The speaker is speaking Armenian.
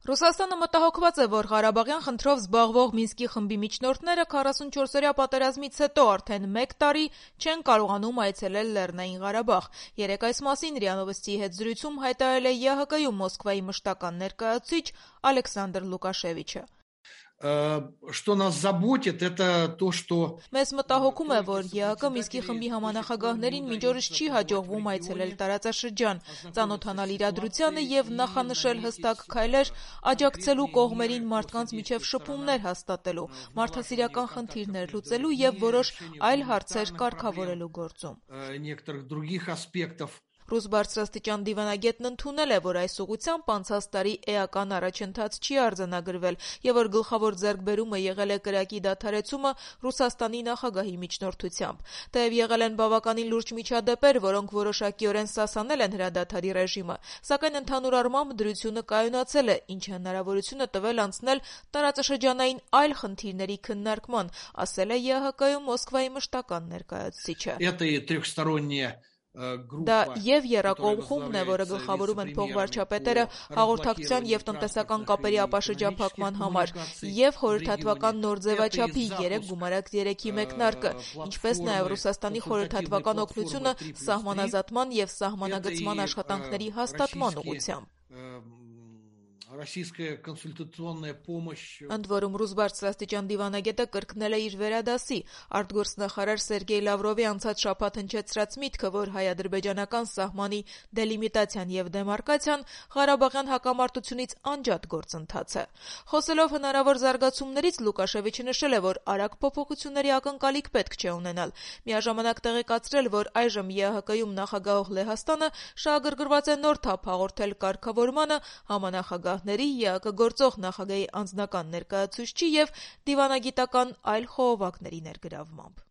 Ռուսաստանը մտահոգված է, որ Ղարաբաղյան խնդրով զբաղվող Մինսկի խմբի միջնորդները 44-օրյա պատերազմից հետո արդեն 1 տարի չեն կարողանում այցելել Լեռնային Ղարաբաղ։ Երեկ այս մասին ՌԻԱ Նովոստիի հետ զրույցում հայտարարել է ԵԱՀԿ-ում Մոսկվայի մշտական ներկայացուցիչ Ալեքսանդր Լուկաշևիչը։ Что нас заботит, это то, что... Մեզ մտահոգում է, որ ԵԱՀԿ Մինսկի խմբի համանախագահներին մինչ օրս չի հաջողվում այցելել տարածաշրջան, ծանոթանալ իրադրությանը եւ նախանշել հստակ քայլեր աջակցելու կողմերին մարդկանց միջև շփումներ հաստատելու, մարդասիրական խնդիրներ լուծելու եւ որոշ այլ հարցեր կարգավորելու գործում։ Некоторых других аспектов. Ռուս բարձրաստիճան դիվանագետն ընդունել է, որ այս ուղղությամբ անցած տարի էական առաջընթաց չի արձանագրվել եւ որ գլխավոր ձեռքբերումը եղել է կրակի դադարեցումը Ռուսաստանի նախագահի միջնորդությամբ։ Թեև եղել են բավականին լուրջ միջադեպեր, որոնք որոշակիորեն սասանել են հրադադարի ռեժիմը, սակայն ընդհանուր առմամբ դրությունը կայունացել է, ինչը հնարավորություն է տվել անցնել տարածաշրջանային այլ խնդիրների քննարկման, ասել է ԵԱՀԿ-ում Մոսկվայի մշտական ներկայացուցիչը։ Это и трехсторонние. Դա եւ եռակողմ խումբն է, որը գլխավորում են փոխվարչապետերը հաղորդակցության եւ տնտեսական կապերի ապաշրջափակման համար, եւ խորհրդատվական նոր ձևաչափի 3 գումարակ 3-ի մեկնարկը, ինչպես նաեւ Ռուսաստանի խորհրդատվական օգնությունը սահմանազատման եւ սահմանագծման աշխատանքների հաստատման ուղղությամբ։ Российская консультационная помощь. Ընդ որում ռուս բարձրաստիճան դիվանագետը կրկնել է իր վերադասի արտգործնախարար Սերգեյ Լավրովի անցած շաբաթ հնչեցրած միտքը, որ հայ-ադրբեջանական սահմանի դելիմիտացիան եւ դեմարկացիան Ղարաբաղյան հակամարտությունից անջատ գործընթաց է։ Խոսելով հնարավոր զարգացումներից Լուկաշևիչը նշել է, որ արագ փոփոխությունների ակնկալիք պետք չէ ունենալ։ Միաժամանակ տեղեկացրել, որ այժմ ԵԱՀԿ-ում նախագահող Լեհաստանը շահագրգռված է նոր թափ հաղորդել կարգավորմանը համանախագահ ԵԱՀԿ գործող նախագահի անձնական ներկայացուցչի եւ դիվանագիտական այլ խողովակների ներգրավմամբ։